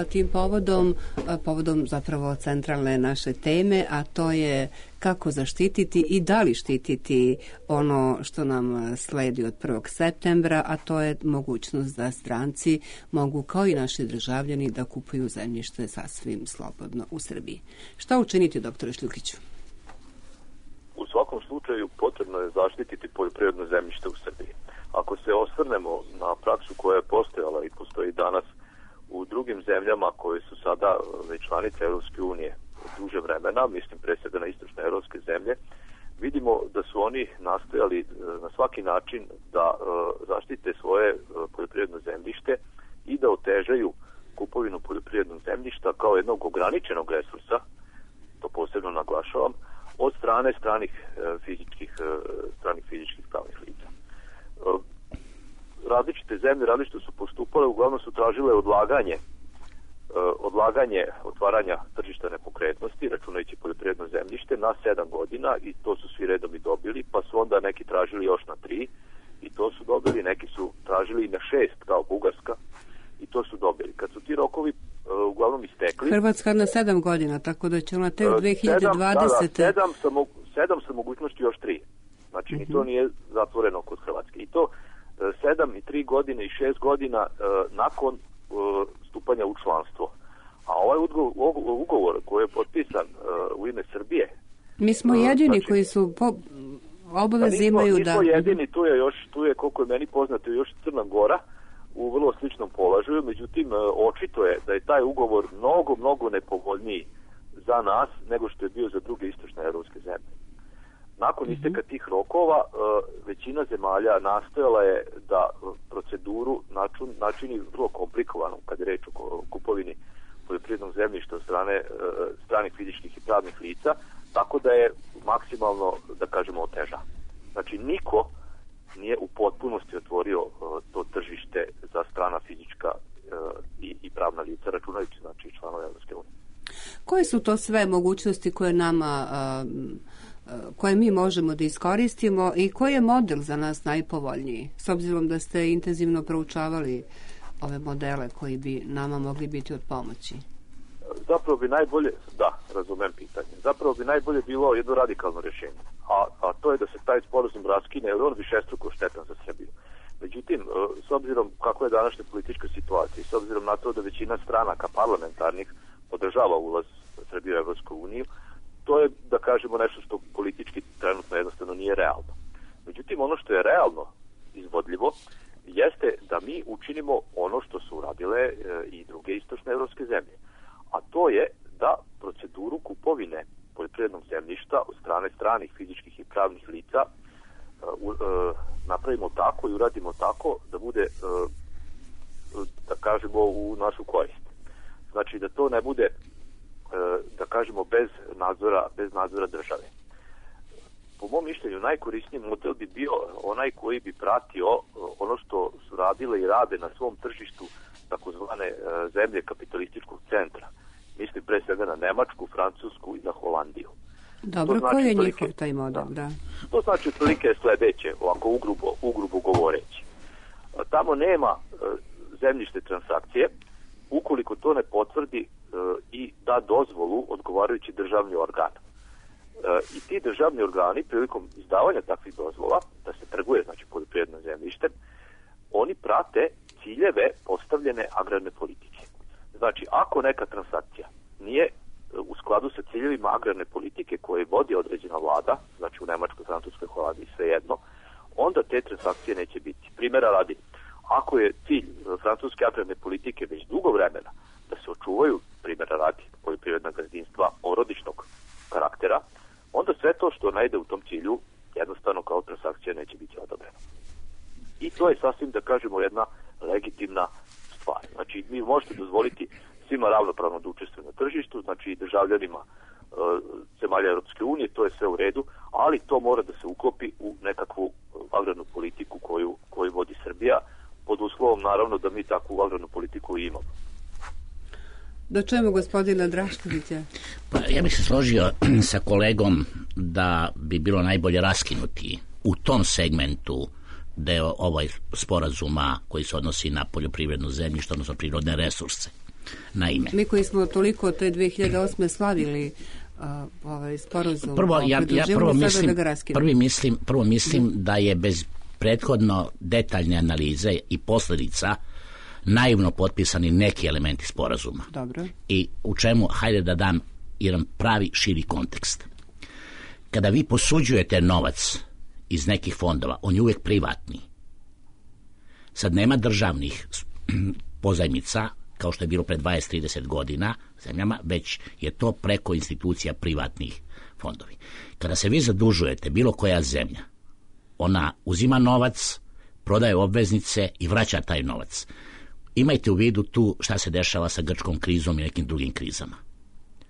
tim povodom, povodom zapravo centralne naše teme, a to je kako zaštititi i da li štititi ono što nam sledi od prvog septembra, a to je mogućnost da stranci mogu kao i naši državljani da kupuju zemljište sasvim slobodno u Srbiji. Šta učiniti, doktore Šljukiću? U svakom slučaju potrebno je zaštititi poljoprivredno zemljište u Srbiji. Ako se osvrnemo na praksu koja je postojala i postoji danas u drugim zemljama koje su sada već članice Evropske unije duže vremena, mislim pre svega na istočne evropske zemlje, vidimo da su oni nastojali na svaki način da zaštite svoje poljoprivredno zemljište i da otežaju kupovinu poljoprivrednog zemljišta kao jednog ograničenog resursa, to posebno naglašavam, od strane stranih fizičkih, stranih fizičkih pravnih lica. Različite zemlje različito su postupale, uglavnom su tražile odlaganje odlaganje otvaranja tržišta nepokretnosti, računajući poljoprivredno zemljište, na sedam godina i to su svi redom i dobili, pa su onda neki tražili još na tri i to su dobili, neki su tražili i na šest kao Bugarska i to su dobili. Kad su ti rokovi uh, uglavnom istekli... Hrvatska na sedam godina, tako da će ona tek dve hiljade dvadesete. Sedam, da, da, sedam, sa mo, sedam sa mogućnosti još tri. Znači, uh-huh. ni to nije zatvoreno kod Hrvatske. I to uh, sedam i tri godine i šest godina uh, nakon uh, stupanja u članstvo. A ovaj ugovor, ugovor koji je potpisan uh, u ime Srbije... Mi smo jedini uh, znači, koji su po... obavezi imaju da... Nismo jedini, tu je još, tu je koliko je meni poznato, još Crna Gora u vrlo sličnom položaju, međutim očito je da je taj ugovor mnogo, mnogo nepovoljniji za nas nego što je bio za druge istočne evropske zemlje. Nakon mm-hmm. isteka tih rokova, većina zemalja nastojala je da proceduru način, načini vrlo komplikovanom kad je reč o kupovini poljoprivrednog zemljišta od strane stranih fizičkih i pravnih lica, tako da je maksimalno, da kažemo, oteža. Znači, niko nije u potpunosti otvorio to tržište za strana fizička i, i pravna lica, računajući znači članove Evropske unije. Koje su to sve mogućnosti koje nama koje mi možemo da iskoristimo i koji je model za nas najpovoljniji, s obzirom da ste intenzivno proučavali ove modele koji bi nama mogli biti od pomoći? Zapravo bi najbolje, da, razumem pitanje, zapravo bi najbolje bilo jedno radikalno rješenje, a, a to je da se taj sporazum raskine, jer on višestruko štetan za Srbiju. Međutim, s obzirom kako je današnja politička situacija i s obzirom na to da većina stranaka parlamentarnih podržava ulaz Srbije u Evropsku uniju, to je, da kažemo, nešto što politički trenutno jednostavno nije realno. Međutim, ono što je realno izvodljivo jeste da mi učinimo ono što su uradile e, i druge istočne evropske zemlje. A to je da proceduru kupovine poljoprivrednog zemljišta od strane stranih fizičkih i pravnih lica e, u, e, napravimo tako i uradimo tako da bude, e, da kažemo, u našu korist. Znači da to ne bude, da kažemo, bez nadzora, bez nadzora države. Po mom mišljenju najkorisniji model bi bio onaj koji bi pratio ono što su radile i rade na svom tržištu takozvane zemlje kapitalističkog centra. Mislim pre svega na Nemačku, Francusku i na Holandiju. Dobro, znači, koji je njihov taj model? Da. To znači otprilike sledeće, ovako ugrubo, ugrubo govoreći. Tamo nema zemljište transakcije ukoliko to ne potvrdi e, i da dozvolu odgovarajući državni organ. E, I ti državni organi prilikom izdavanja takvih dozvola, da se trguje, znači, poljoprivredno zemljište, oni prate ciljeve postavljene agrarne politike. Znači, ako neka transakcija nije u skladu sa ciljevima agrarne politike koje vodi određena vlada, znači u Nemačkoj, Francuskoj, Holandiji, svejedno, onda te transakcije neće biti. Primjera radi, ako je cilj francuske agrarne politike već dugo vremena da se očuvaju, primjera radi, poljoprivredna gazdinstva porodičnog karaktera, onda sve to što najde u tom cilju jednostavno kao transakcija neće biti odobreno. I to je sasvim, da kažemo, jedna legitimna stvar. Znači, mi možete dozvoliti svima ravnopravno da učestvuju na tržištu, znači i državljanima e, zemalja Europske unije, to je sve u redu, ali to mora da se uklopi u nekakvu agrarnu politiku koju, koju vodi Srbija, pod uslovom, naravno, da mi takvu agrarnu politiku i imamo. Da čujemo gospodina Draškovića. Pa, ja bih se složio sa kolegom da bi bilo najbolje raskinuti u tom segmentu deo ovaj sporazuma koji se odnosi na poljoprivredno zemljište, odnosno prirodne resurse. Naime, mi koji smo toliko te dve hiljade osme slavili uh, ovaj sporazum, prvo, ja, ja prvo, mislim, da prvi mislim, prvo mislim mm. da je bez prethodno detaljne analize i posljedica naivno potpisani neki elementi sporazuma. Dobro. I u čemu, hajde da dam jedan pravi širi kontekst. Kada vi posuđujete novac iz nekih fondova, on je uvijek privatni. Sad nema državnih pozajmica, kao što je bilo pre dvadeset do trideset godina zemljama, već je to preko institucija privatnih fondovi. Kada se vi zadužujete, bilo koja zemlja, ona uzima novac, prodaje obveznice i vraća taj novac. Imajte u vidu tu šta se dešava sa grčkom krizom i nekim drugim krizama.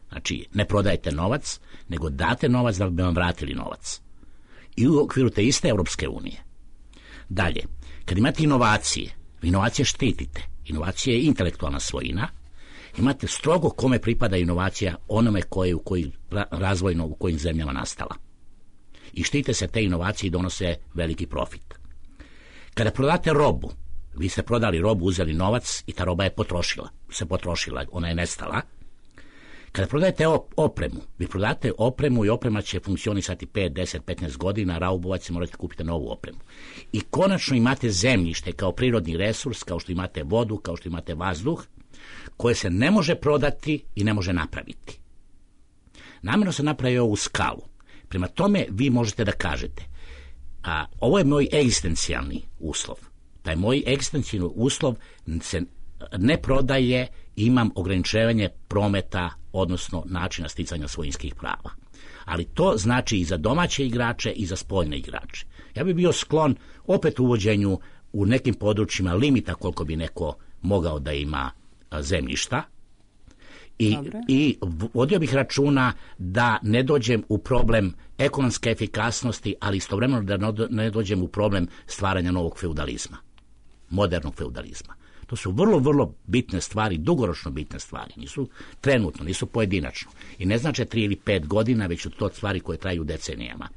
Znači, ne prodajete novac, nego date novac da bi vam vratili novac. I u okviru te iste Evropske unije. Dalje, kad imate inovacije, vi inovacije štitite. Inovacija je intelektualna svojina. Imate strogo kome pripada inovacija, onome koje u koji razvojno u kojim zemljama nastala. I štite se te inovacije i donose veliki profit. Kada prodate robu, vi ste prodali robu, uzeli novac i ta roba je potrošila, se potrošila, ona je nestala. Kada prodajete opremu, vi prodate opremu i oprema će funkcionisati pet, deset, petnaest godina, raubovac se morate kupiti novu opremu. I konačno imate zemljište kao prirodni resurs, kao što imate vodu, kao što imate vazduh, koje se ne može prodati i ne može napraviti. Namjerno se napravio u skalu. Prema tome vi možete da kažete, a ovo je moj egzistencijalni uslov. Taj moj egzistencijalni uslov se ne prodaje, imam ograničavanje prometa, odnosno načina sticanja svojinskih prava. Ali to znači i za domaće igrače i za spoljne igrače. Ja bih bio sklon opet uvođenju u nekim područjima limita koliko bi neko mogao da ima zemljišta I, I vodio bih računa da ne dođem u problem ekonomske efikasnosti, ali istovremeno da ne dođem u problem stvaranja novog feudalizma, modernog feudalizma. To su vrlo, vrlo bitne stvari, dugoročno bitne stvari. Nisu trenutno, nisu pojedinačno. I ne znače tri ili pet godina, već su to stvari koje traju decenijama.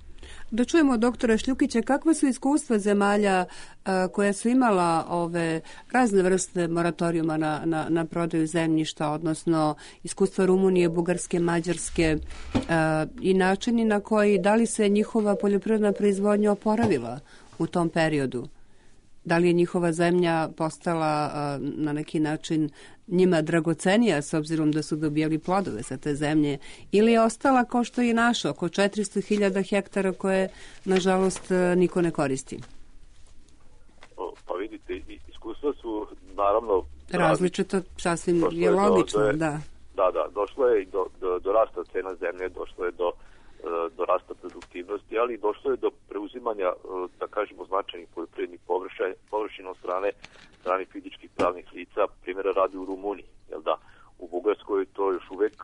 Da čujemo doktora Šljukića, kakva su iskustva zemalja a, koja su imala ove razne vrste moratorijuma na, na, na prodaju zemljišta, odnosno iskustva Rumunije, Bugarske, Mađarske a, i načini na koji, da li se njihova poljoprivredna proizvodnja oporavila u tom periodu? Da li je njihova zemlja postala a, na neki način njima dragocenija s obzirom da su dobijali plodove sa te zemlje, ili je ostala kao što je naša, oko četiristo hiljada hektara koje nažalost niko ne koristi? Pa vidite, iskustva su naravno različito, sasvim je logično, do, do, da. Da, da, došlo je i do, do, do rasta cena zemlje, došlo je do, do rasta produktivnosti, ali došlo je do preuzimanja, da kažemo, značajnih poljoprivrednih površina od strane stranih fizičkih pravnih lica, primjera radi u Rumuniji, jel da? U Bugarskoj to još uvek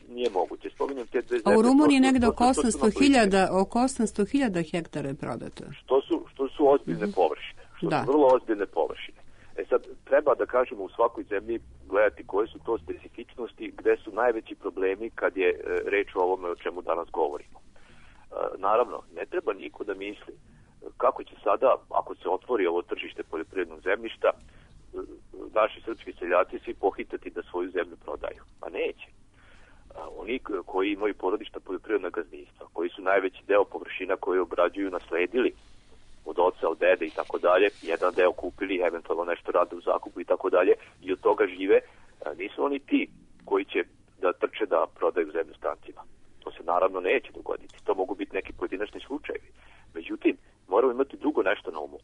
nije moguće. Spominjem te dve zemlje. A u Rumuniji negde oko osamsto hiljada, oko osamsto hiljada hektara je prodato. Što su, što su ozbiljne mm-hmm. površine. Što da. su vrlo ozbiljne površine. E sad, treba da kažemo u svakoj zemlji gledati koje su to specifičnosti, gde su najveći problemi kad je reč o ovome o čemu danas govorimo. Naravno, ne treba niko da misli kako će sada, ako se otvori ovo tržište poljoprivrednog zemljišta, naši srpski seljaci svi pohitati da svoju zemlju prodaju. Pa neće. Oni koji imaju porodišta poljoprivredna gazdinstva, koji su najveći deo površina koje obrađuju nasledili od oca, od dede i tako dalje, jedan deo kupili, eventualno nešto rade u zakupu i tako dalje, i od toga žive, nisu oni ti koji će da trče da prodaju zemlju strancima. To se naravno neće dogoditi. To mogu biti neki pojedinačni slučajevi. Međutim, moramo imati drugo nešto na umu.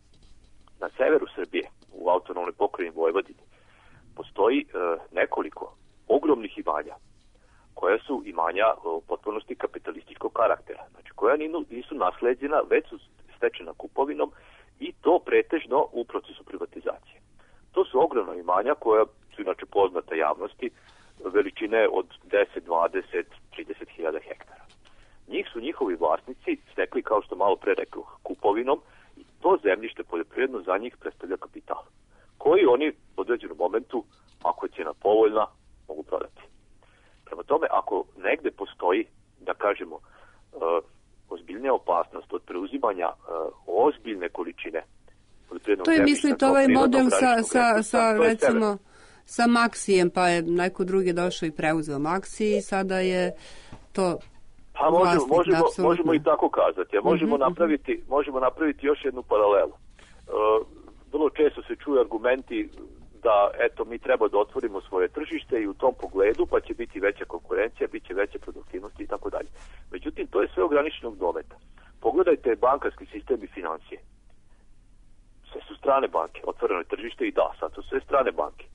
Na severu Srbije, u autonomnoj pokrajini Vojvodini, postoji e, nekoliko ogromnih imanja, koja su imanja u potpunosti kapitalističkog karaktera. Znači, koja nisu nasleđena, već su stečena kupovinom i to pretežno u procesu privatizacije. To su ogromna imanja koja su inače poznata javnosti, veličine od deset, dvadeset, trideset hiljada hektara. Njih su njihovi vlasnici stekli, kao što malo pre rekao, kupovinom, i to zemljište poljoprivredno za njih predstavlja kapital, koji oni u određenom momentu, ako je cijena povoljna, mogu prodati. Prema tome, ako negde postoji, da kažemo, uh, ozbiljnija opasnost od preuzimanja uh, ozbiljne količine poljoprivrednog zemljišta, to je, mislite, ovaj model sa, sa, sa recimo, sa Maksijem, pa je neko drugi došao i preuzeo Maksiji i sada je to... Pa možemo, možemo, možemo i tako kazati. A možemo, mm-hmm. napraviti, možemo napraviti još jednu paralelu. Uh, vrlo često se čuju argumenti da eto mi treba da otvorimo svoje tržište i u tom pogledu pa će biti veća konkurencija, bit će veća produktivnost i tako dalje. Međutim, to je sve ograničenog dometa. Pogledajte bankarski sistem i financije. Sve su strane banke, otvoreno je tržište i da, sad su sve strane banke.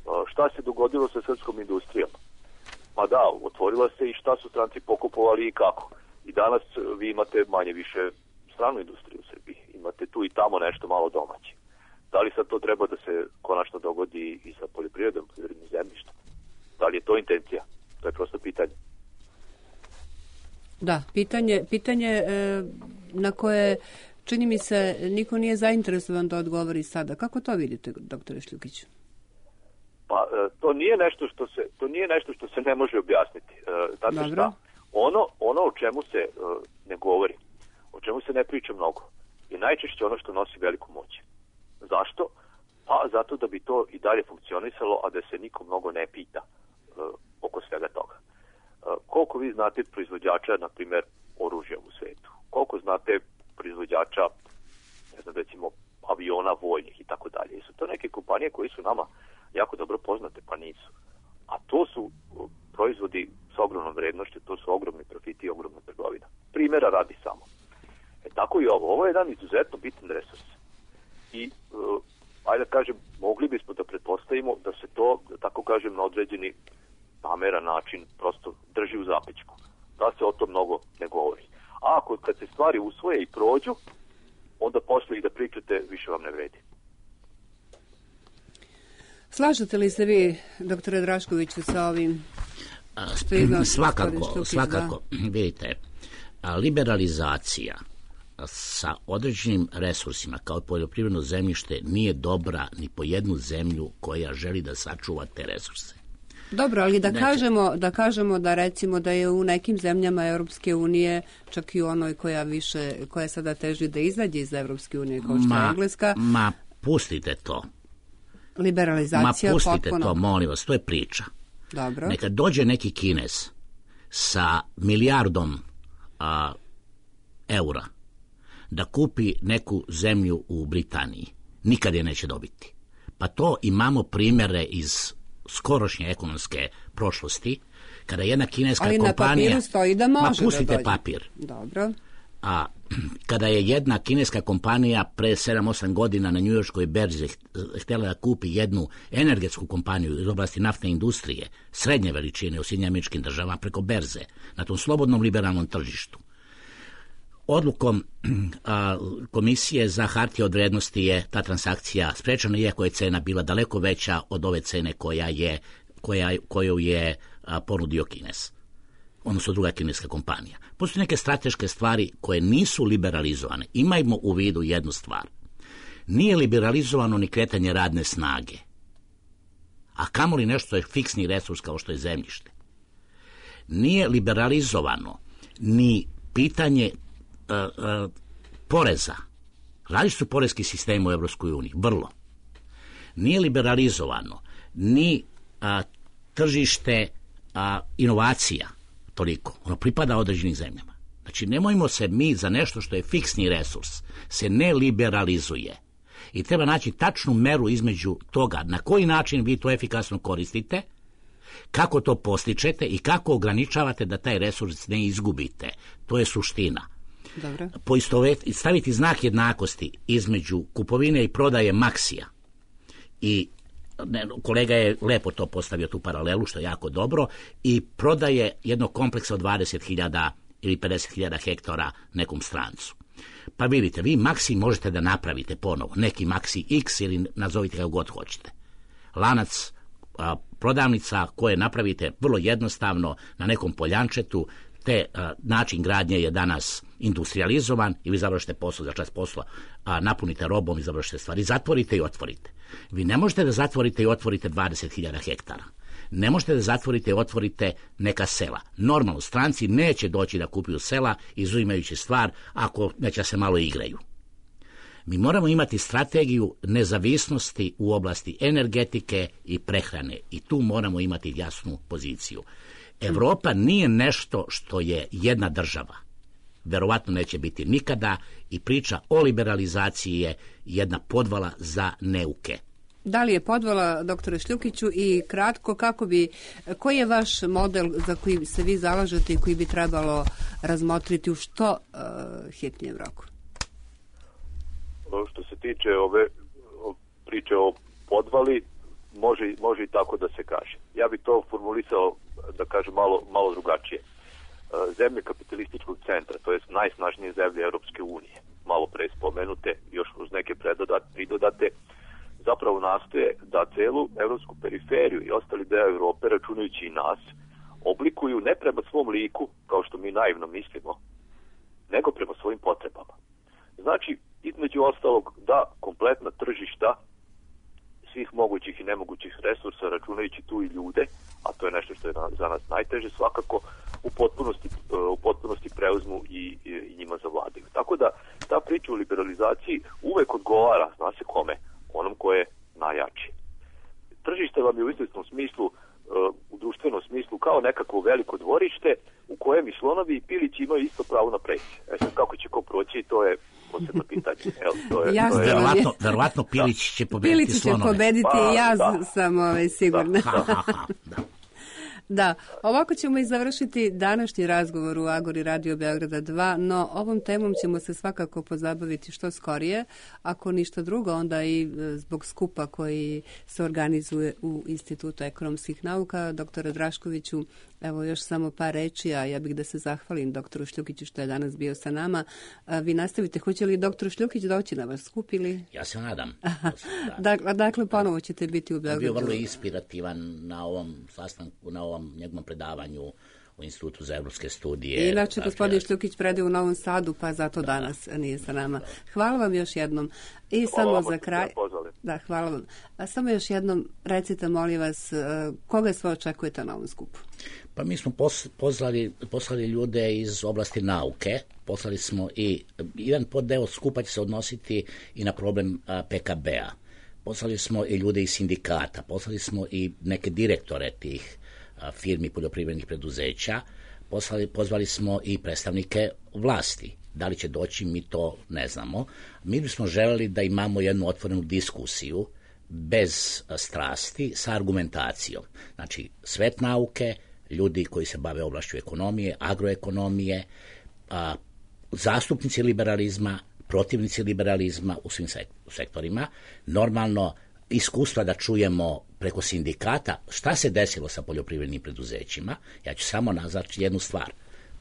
Uh, šta se dogodilo sa srpskom industrijom? Pa da, otvorila se i šta su stranci pokupovali i kako. I danas vi imate manje više stranu industriju u Srbiji. Imate tu i tamo nešto malo domaće. Da li sad to treba da se konačno dogodi i sa poljoprivredom, poljoprivrednim zemljištem? Da li je to intencija? To je prosto pitanje. Da, pitanje, pitanje e, na koje čini mi se niko nije zainteresovan da odgovori sada. Kako to vidite, doktore Šljukić? Pa to nije nešto što se to nije nešto što se ne može objasniti. Zato šta? Ono ono o čemu se uh, ne govori, o čemu se ne priča mnogo, je najčešće ono što nosi veliku moć. Zašto? Pa zato da bi to i dalje funkcionisalo, a da se niko mnogo ne pita uh, oko svega toga. Uh, koliko vi znate proizvođača, na primjer, oružja u svetu? Koliko znate proizvođača, ne znam, recimo, aviona vojnih i tako dalje? Jesu to neke kompanije koje su nama jako dobro poznate? Pa nisu. A to su proizvodi sa ogromnom vrednošću, to su ogromni profiti i ogromna trgovina. Primjera radi samo. E tako i ovo. Ovo je jedan izuzetno bitan resurs. I, uh, ajde da kažem, mogli bismo da pretpostavimo da se to, da tako kažem, na određeni nameran način prosto drži u zapećku. Da se o to mnogo ne govori. A ako kad se stvari usvoje i prođu, onda posle i da pričate više vam ne vredi. Slažete li se vi, doktore Draškoviću, sa ovim? Svakako, svakako, vidite, liberalizacija sa određenim resursima kao poljoprivredno zemljište nije dobra ni po jednu zemlju koja želi da sačuva te resurse. Dobro, ali da kažemo, da kažemo da recimo da je u nekim zemljama Europske unije, čak i u onoj koja više, koja sada teži da izađe iz Europske unije, kao što je Engleska. Ma, pustite to. Liberalizacija Ma, pustite potpuno. to, molim vas, to je priča. Dobro. Neka dođe neki Kinez sa milijardom a, eura da kupi neku zemlju u Britaniji. Nikad je neće dobiti. Pa to imamo primjere iz skorošnje ekonomske prošlosti, kada jedna kineska ali kompanija... Ali na papiru stoji da može ma, pustite da dođe. papir. Dobro. A kada je jedna kineska kompanija pre sedam osam godina na njujorškoj berzi htjela da kupi jednu energetsku kompaniju iz oblasti naftne industrije, srednje veličine u Sjedinjenim Američkim Državama preko berze, na tom slobodnom liberalnom tržištu, odlukom a, Komisije za hartije od vrednosti je ta transakcija sprečena, iako je cena bila daleko veća od ove cene koja je, koja, koju je a, ponudio Kinez, odnosno druga kineska kompanija. Postoje neke strateške stvari koje nisu liberalizovane. Imajmo u vidu jednu stvar. Nije liberalizovano ni kretanje radne snage, a kamoli nešto je fiksni resurs kao što je zemljište. Nije liberalizovano ni pitanje uh, uh, poreza. Različiti su porezki sistemi u Evropskoj uniji, vrlo. Nije liberalizovano ni uh, tržište uh, inovacija, toliko. Ono pripada određenim zemljama. Znači, nemojmo se mi za nešto što je fiksni resurs, se ne liberalizuje. I treba naći tačnu meru između toga na koji način vi to efikasno koristite, kako to postičete i kako ograničavate da taj resurs ne izgubite. To je suština. Dobro. Poistoveti, staviti znak jednakosti između kupovine i prodaje Maxija i ne, kolega je lepo to postavio tu paralelu, što je jako dobro, i prodaje jednog kompleksa od dvadeset hiljada ili pedeset hiljada hektara nekom strancu. Pa vidite, vi Maxi možete da napravite ponovo, neki Maxi X ili nazovite kako god hoćete. Lanac a, prodavnica koje napravite vrlo jednostavno na nekom poljančetu, te a, način gradnje je danas industrializovan i vi završite posao za čas posla, a napunite robom i završite stvari, zatvorite i otvorite. Vi ne možete da zatvorite i otvorite dvadeset hiljada hektara. Ne možete da zatvorite i otvorite neka sela. Normalno, stranci neće doći da kupuju sela, izuzimajući stvar, ako neće se malo igraju. Mi moramo imati strategiju nezavisnosti u oblasti energetike i prehrane i tu moramo imati jasnu poziciju. Evropa nije nešto što je jedna država. Verovatno neće biti nikada i priča o liberalizaciji je jedna podvala za neuke. Da li je podvala, doktore Šljukiću, i kratko, kako bi, koji je vaš model za koji se vi zalažete i koji bi trebalo razmotriti u što uh, hitnijem roku? Što se tiče ove priče o podvali, može, može i tako da se kaže. Ja bih to formulisao, da kažem, malo, malo drugačije. Zemlje kapitalističkog centra, to je najsnažnije zemlje Europske unije, malo pre spomenute, još uz neke pridodate, zapravo nastoje da celu evropsku periferiju i ostali deo Evrope, računajući i nas, oblikuju ne prema svom liku, kao što mi naivno mislimo, nego prema svojim potrebama. Znači, između ostalog, da kompletna tržišta svih mogućih i nemogućih resursa, računajući tu i ljude, a to je nešto što je za nas najteže, svakako u potpunosti, u potpunosti preuzmu i, i, i njima zavladaju. Tako da ta priča o liberalizaciji uvek odgovara, zna se kome, onom ko je najjači. Tržište vam je u izvesnom smislu, u društvenom smislu, kao nekako veliko dvorište u kojem i slonovi i pilići imaju isto pravo na preći. E sad, kako će ko proći, to je posebno pitanje. Evo, to je, Jasno, to je... Verovatno, verovatno Pilić će pobediti Pilić će slonove. pobediti Pa, i ja da. sam ovaj, sigurna. Da, Ha, ha, ha, da. Da, ovako ćemo i završiti današnji razgovor u Agori Radio Beograda dva, no ovom temom ćemo se svakako pozabaviti što skorije, ako ništa drugo, onda i zbog skupa koji se organizuje u Institutu ekonomskih nauka. Doktore Draškoviću, evo još samo par reči, a ja bih da se zahvalim doktoru Šljukiću što je danas bio sa nama. A vi nastavite, hoće li doktor Šljukić doći na vas skup ili? Ja se nadam. Dakle, dakle, ponovo ćete biti u Beogradu. Bio vrlo inspirativan na ovom sastanku, na ovom jednom njegovom predavanju u Institutu za evropske studije. Inače, dakle, gospodin Šljukić predaje u Novom Sadu, pa zato danas da. nije sa nama. Hvala vam još jednom. I hvala samo za kraj... Da, hvala vam. A samo još jednom recite, molim vas, koga sve očekujete na ovom skupu? Pa mi smo pos, poslali, poslali ljude iz oblasti nauke, poslali smo i jedan poddeo skupa će se odnositi i na problem a, P K B-a. Poslali smo i ljude iz sindikata, poslali smo i neke direktore tih a, firmi poljoprivrednih preduzeća, poslali, pozvali smo i predstavnike vlasti. Da li će doći, mi to ne znamo. Mi bismo želeli da imamo jednu otvorenu diskusiju bez a, strasti, sa argumentacijom. Znači, svet nauke, ljudi koji se bave oblašću ekonomije, agroekonomije, a, zastupnici liberalizma, protivnici liberalizma u svim sektorima, normalno iskustva da čujemo preko sindikata šta se desilo sa poljoprivrednim preduzećima. Ja ću samo nazvati jednu stvar.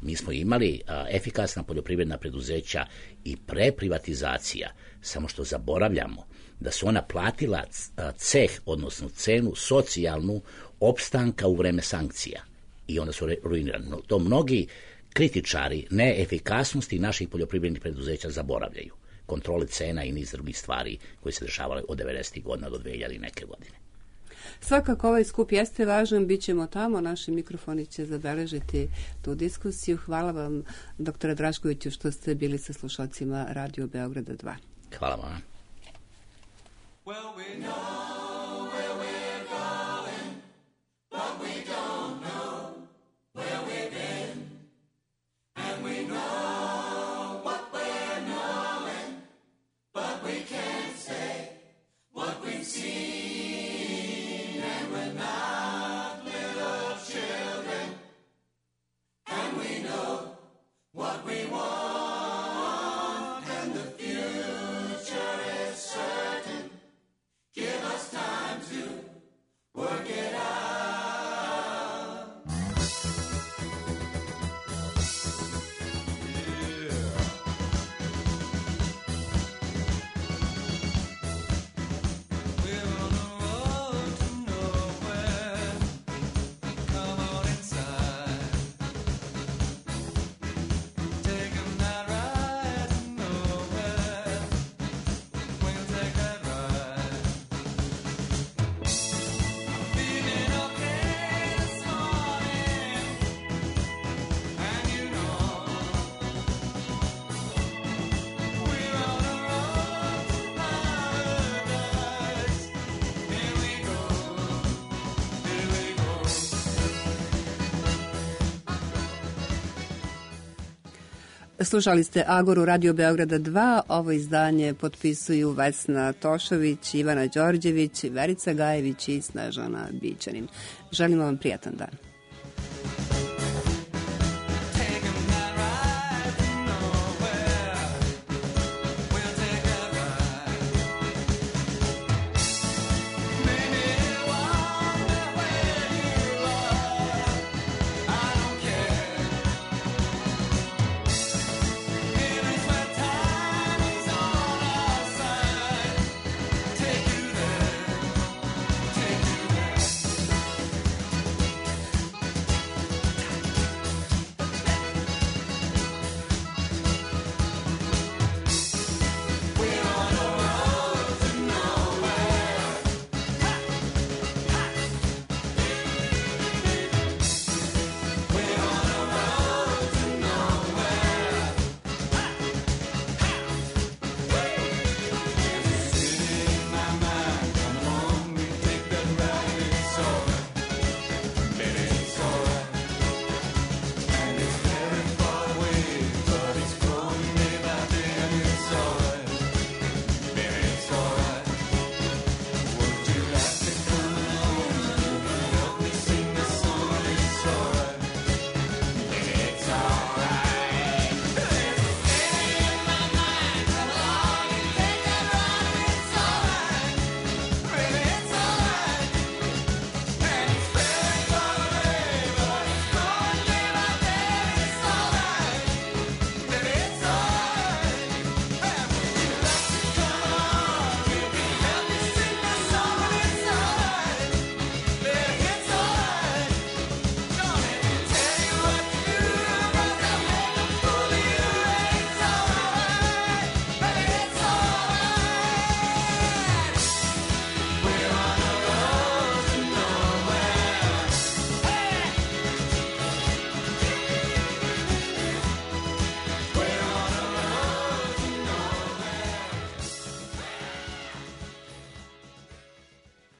Mi smo imali a, efikasna poljoprivredna preduzeća i pre privatizacija, samo što zaboravljamo da su ona platila ceh, odnosno cenu socijalnu opstanka u vreme sankcija. I onda su ruinirani. To mnogi kritičari neefikasnosti naših poljoprivrednih preduzeća zaboravljaju. Kontrole cena i niz drugih stvari koje se dešavale od devedesetih godina do dve hiljadite neke godine. Svakako ovaj skup jeste važan, bit ćemo tamo, naši mikrofoni će zabeležiti tu diskusiju. Hvala vam, doktore Draškoviću, što ste bili sa slušalcima Radio Beograda dva. Hvala vam. Well, we know where we're going, but we don't know where we've been, and we know what we're knowing, but we can't say what we've seen, and we're not little children, and we know what we want, and the future is certain. Give us time to work it out. Yeah. We're on a road to nowhere. Come on inside. Taking that ride to nowhere. We'll take that ride. Feeling okay this morning, and you know we're on a road to paradise. Here we go, here we go. Slušali ste Agoru Radio Beograda dva. Ovo izdanje potpisuju Vesna Tošović, Ivana Đorđević, Verica Gajević i Snežana Bićanin. Želimo vam prijatan dan.